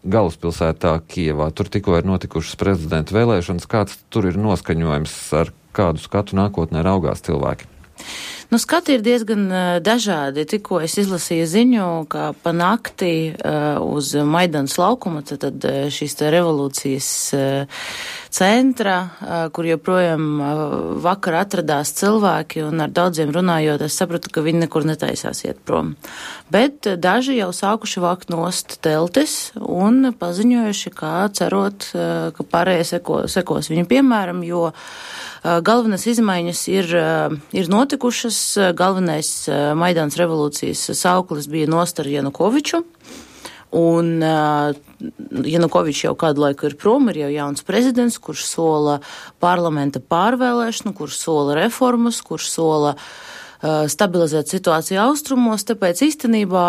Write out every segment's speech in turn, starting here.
galvaspilsētā Kijevā. Tur tikko ir notikušas prezidenta vēlēšanas. Kāds tur ir noskaņojums, ar kādu skatu nākotnē raugās cilvēki? Nu, skati ir diezgan dažādi. Tikko es izlasīju ziņu, ka pa nakti uz Maidanas laukuma, tad šīs revolūcijas centra, kur joprojām vakar atradās cilvēki, un ar daudziem runājot, es sapratu, ka viņi nekur netaisās iet prom. Bet daži jau sākuši vākt nost teltis un paziņojuši, kā cerot, ka pārējie sekos viņu piemēram, jo galvenās izmaiņas ir notikušas. Galvenais Maidanas revolūcijas sauklis bija nost ar Janukoviču. Un Janukovičs jau kādu laiku ir prom, ir jau jauns prezidents, kurš sola parlamenta pārvēlēšanu, kurš sola reformas, kurš sola stabilizēt situāciju austrumos, tāpēc īstenībā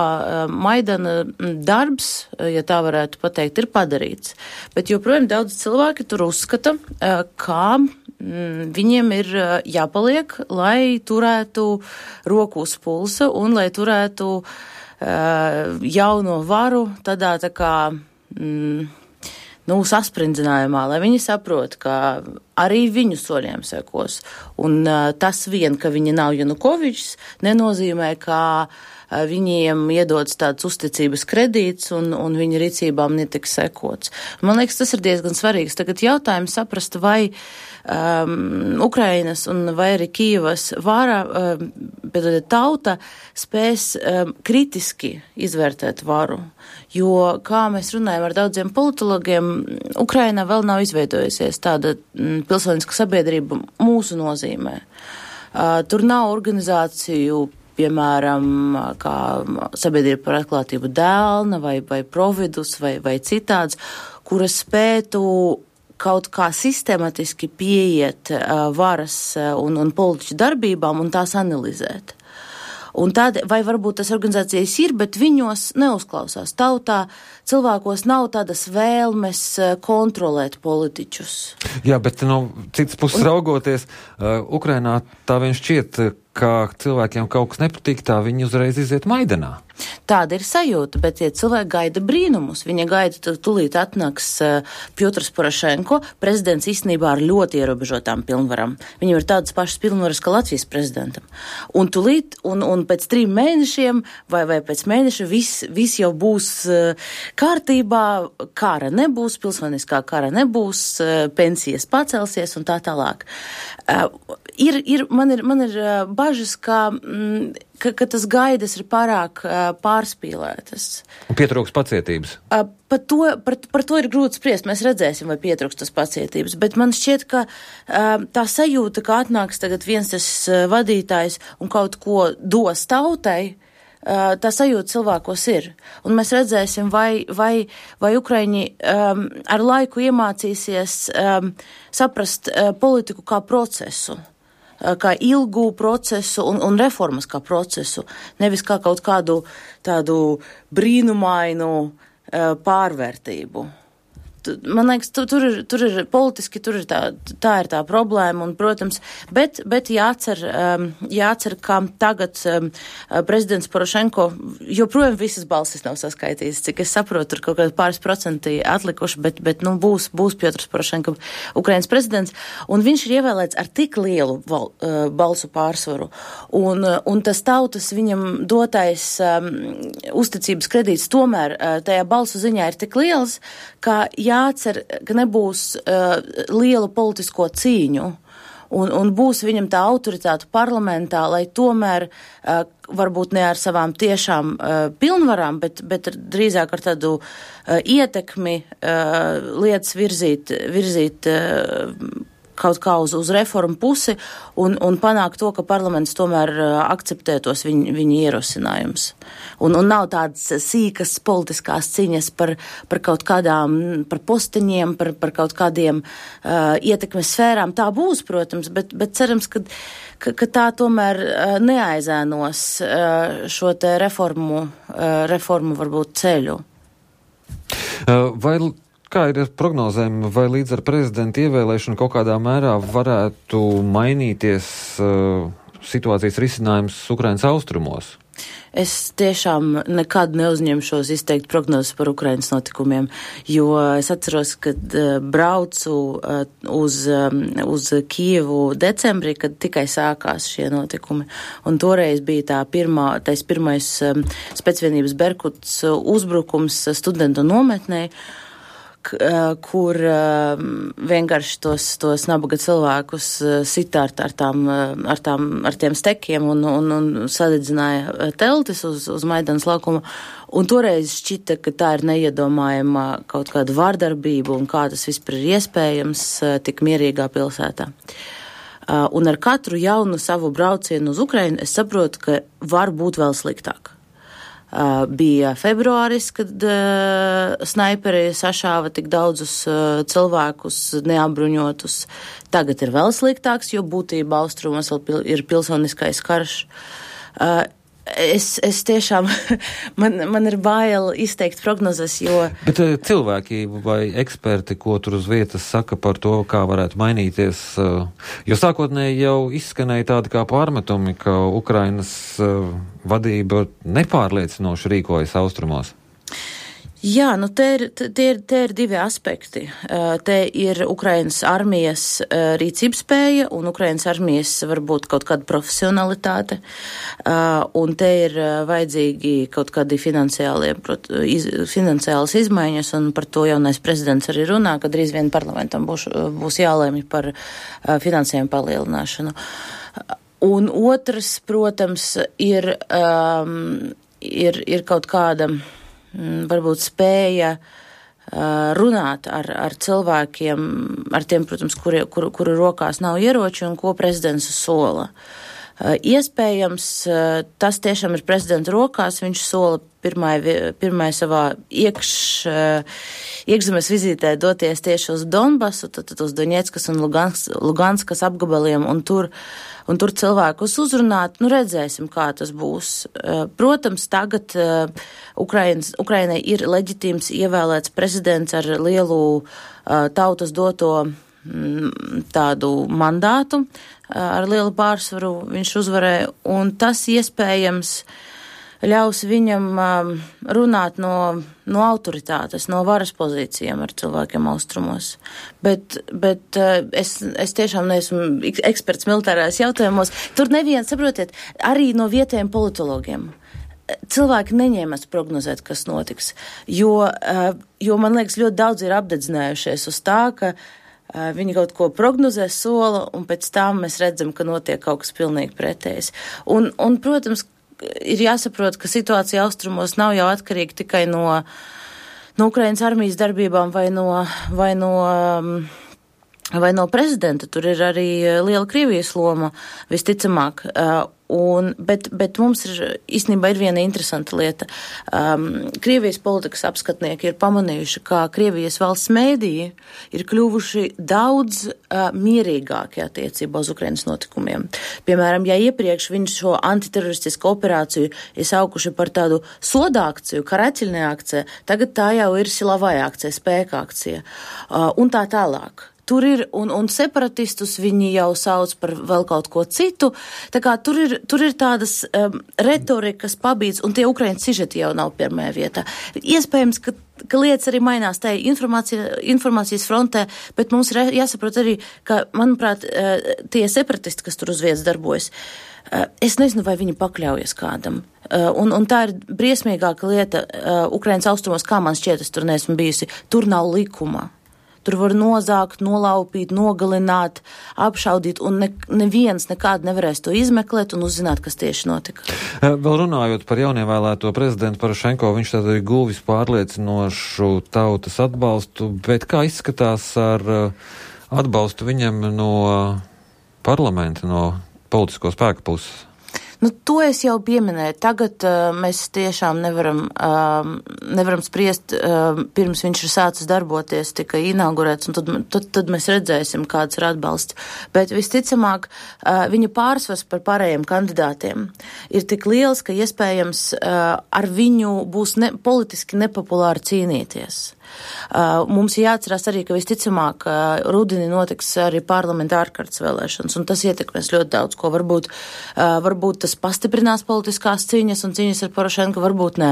Maidana darbs, ja tā varētu pateikt, ir padarīts. Bet joprojām daudz cilvēki tur uzskata, kā viņiem ir jāpaliek, lai turētu roku uz pulsa un lai turētu jauno varu tādā tā kā saspringzinājumā, lai viņi saprot, ka arī viņu soļiem sekos. Un tas vien, ka viņi nav Janukovičs, nenozīmē, ka viņiem iedodas tāds uzticības kredīts un viņa rīcībām netiks sekots. Man liekas, tas ir diezgan svarīgs. Tagad jautājums saprast, vai Ukrainas un vai arī Kijevas vara, tauta spēs kritiski izvērtēt varu. Jo, kā mēs runājam ar daudziem politologiem, Ukrainā vēl nav izveidojusies tāda pilsoniska sabiedrība mūsu nozīmē. Tur nav organizāciju, piemēram, kā sabiedrība par atklātību Dēlna vai Providus vai citāds, kuras spētu kaut kā sistematiski pieiet varas un politiķu darbībām un tās analizēt. Un tad, vai varbūt tas organizācijas ir, bet viņos neuzklausās. Tautā cilvēkos nav tādas vēlmes kontrolēt politiķus. Jā, bet no citas puses raugoties, Ukrainā tā vien šķiet, ka cilvēkiem kaut kas nepatīk, tā viņi uzreiz iziet Maidanā. Tāda ir sajūta, bet tie cilvēki gaida brīnumus. Viņa gaida, tūlīt atnāks Pjotrs Porošenko, prezidents īstenībā ar ļoti ierobežotām pilnvarām. Viņam ir tādas pašas pilnvaras, kā Latvijas prezidentam. Un tūlīt, un pēc 3 mēnešiem vai pēc mēneša viss jau būs kārtībā, kara nebūs, pilsoniskā kara nebūs, pensijas pacelsies un tā tālāk. Man ir bažas, ka tas gaidas ir pārāk pārspīlētas. Un pietrūks pacietības. Par to ir grūti spriest. Mēs redzēsim, vai pietrūks tas pacietības. Bet man šķiet, ka tā sajūta, ka atnāks tagad viens tas vadītājs un kaut ko dos tautai, tā sajūta cilvēkos ir. Un mēs redzēsim, vai Ukraiņi ar laiku iemācīsies saprast politiku kā procesu, kā ilgu procesu un reformas kā procesu, nevis kā kaut kādu tādu brīnumainu pārvērtību. Man liekas, tur ir politiski, tur ir tā ir tā problēma, un, protams, bet jācer, ka tagad prezidents Porošenko joprojām visas balsis nav saskaitītas, cik es saprotu, tur kaut kādi pāris procenti atlikuši, bet būs Pjotrs Porošenko Ukrainas prezidents, un viņš ir ievēlēts ar tik lielu balsu pārsvaru, un tas tautas viņam dotais uzticības kredīts tomēr tajā balsu ziņā ir tik liels, ka jācer, ka nebūs liela politisko cīņu un būs viņam tā autoritāte parlamentā, lai tomēr varbūt ne ar savām tiešām pilnvarām, bet drīzāk ar tādu ietekmi lietas virzīt kaut kā uz reformu pusi un panākt to, ka parlaments tomēr akceptē tos viņa ierosinājumus. Un nav tādas sīkas politiskās ciņas par kaut kādām, par posteņiem, par kaut kādiem ietekmes sfērām. Tā būs, protams, bet cerams, ka tā tomēr neaizēnos šo te reformu varbūt ceļu. Kā ir ar prognozēm, vai līdz ar prezidenta ievēlēšanu kaut kādā mērā varētu mainīties situācijas risinājums Ukrainas austrumos? Es tiešām nekad neuzņemšos izteikt prognozes par Ukrainas notikumiem, jo es atceros, kad braucu uz Kijevu decembrī, kad tikai sākās šie notikumi. Un toreiz bija tais pirmais specvienības Berkuts uzbrukums studentu nometnē, kur vienkārši tos nabaga cilvēkus sita ar tiem stekiem un sadedzināja teltis uz Maidanas laukuma. Un toreiz šķita, ka tā ir neiedomājama kaut kāda vārdarbība un kā tas vispār ir iespējams tik mierīgā pilsētā. Un ar katru jaunu savu braucienu uz Ukrainu es saprotu, ka var būt vēl sliktāk. Bija februāris, kad snaiperi sašāva tik daudzus cilvēkus neapbruņotus. Tagad ir vēl sliktāks, jo būtībā austrumos vēl ir pilsoniskais karš. Es tiešām, man ir bail izteikt prognozes, jo... Bet cilvēki vai eksperti, ko tur uz vietas saka par to, kā varētu mainīties, jo sākotnēji jau izskanēja tādi kā pārmetumi, ka Ukrainas vadība nepārliecinoši rīkojas austrumos. Jā, nu te ir divi aspekti. Te ir Ukrainas armijas rīcības spēja un Ukrainas armijas varbūt kaut kāda profesionalitāte. Un te ir vajadzīgi kaut kādi finansiālas izmaiņas, un par to jaunais prezidents arī runā, ka drīz vien parlamentam būs jālēmj par finansējumu palielināšanu. Un otrs, protams, ir kaut kāda varbūt spēja runāt ar cilvēkiem, ar tiem, protams, kuru rokās nav ieroči un ko prezidents sola. Iespējams, tas tiešām ir prezidenta rokās, viņš sola pirmai savā iekšzemes vizītē doties tieši uz Donbasu, tad uz Doņetskas un Luganskas apgabaliem, un tur cilvēkus uzrunāt. Nu, redzēsim, kā tas būs. Protams, tagad Ukrainai ir leģitīms ievēlēts prezidents ar lielu tautas doto tādu mandātu, ar lielu pārsvaru viņš uzvarēja, un tas iespējams ļaus viņam runāt no autoritātes, no varas pozīcijām ar cilvēkiem austrumos. Bet es tiešām neesmu eksperts militārās jautājumos. Tur neviens, saprotiet, arī no vietējiem politologiem. Cilvēki neņēmas prognozēt, kas notiks, jo man liekas, ļoti daudz ir apdedzinājušies uz tā, ka viņi kaut ko prognozē, sola, un pēc tam mēs redzam, ka notiek kaut kas pilnīgi pretējs. Un protams, ir jāsaprot, ka situācija austrumos nav jau atkarīga tikai no Ukrainas armijas darbībām vai no prezidenta. Tur ir arī liela Krievijas loma, visticamāk. Bet mums īstenībā ir viena interesanta lieta. Krievijas politikas apskatnieki ir pamanījuši, ka Krievijas valsts mēdīji ir kļuvuši daudz mierīgāki attiecībā uz Ukrainas notikumiem. Piemēram, ja iepriekš viņš šo antiteroristisku operāciju ir saukuši par tādu sodākciju, karaķiļne akcija, tagad tā jau ir silavāja akcija, spēka akcija un tā tālāk. Tur ir, un separatistus viņi jau sauc par vēl kaut ko citu. Tā kā tur ir tādas retorikas pabīdes, un tie Ukrainas sižeti jau nav pirmajā vietā. Iespējams, ka lietas arī mainās tajā informācijas frontē, bet mums ir jāsaprot arī, ka, manuprāt, tie separatisti, kas tur uz vietas darbojas, es nezinu, vai viņi pakļaujas kādam. Un tā ir briesmīgāka lieta Ukrainas austrumos, kā man šķiet, es tur neesmu bijusi. Tur nav likuma. Tur var nozākt, nolaupīt, nogalināt, apšaudīt, un neviens nekādi nevarēs to izmeklēt un uzzināt, kas tieši notika. Vēl runājot par jaunievēlēto prezidentu Porošenko, viņš tad ir guvis pārliecinošu tautas atbalstu, bet kā izskatās ar atbalstu viņam no parlamenta, no politisko spēku puses? Nu, to es jau pieminēju. Tagad mēs tiešām nevaram spriest, pirms viņš ir sācis darboties, tika inaugurēts, un tad mēs redzēsim, kāds ir atbalsts. Bet visticamāk, viņa pārsvars par pārējiem kandidātiem ir tik liels, ka iespējams ar viņu būs politiski nepopulāri cīnīties. Mums jāatcerās arī, ka visticamāk rudenī notiks arī parlamenta ārkārtas vēlēšanas, un tas ietekmēs ļoti daudz, ko varbūt tas pastiprinās politiskās cīņas un cīņas ar Porošenku, varbūt nē.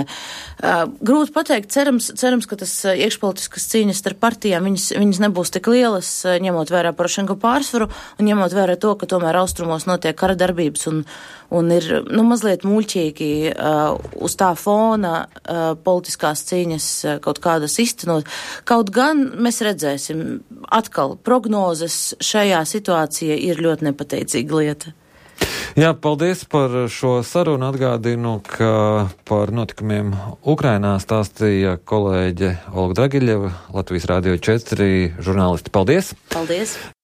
Grūti pateikt, cerams, ka tas iekšpolitiskas cīņas starp partijām, viņas nebūs tik lielas, ņemot vērā Porošenku pārsvaru un ņemot vērā to, ka tomēr austrumos notiek kara darbības un ir, mazliet muļķīgi uz tā fona politiskās cīņas kaut kādas iztenot. Kaut gan mēs redzēsim, atkal prognozes šajā situācijā ir ļoti nepateicīga lieta. Jā, paldies par šo sarunu. Atgādinu, ka par notikumiem Ukrainā stāstīja kolēģe Olga Dragiļeva, Latvijas Rādio 4 žurnālisti. Paldies! Paldies!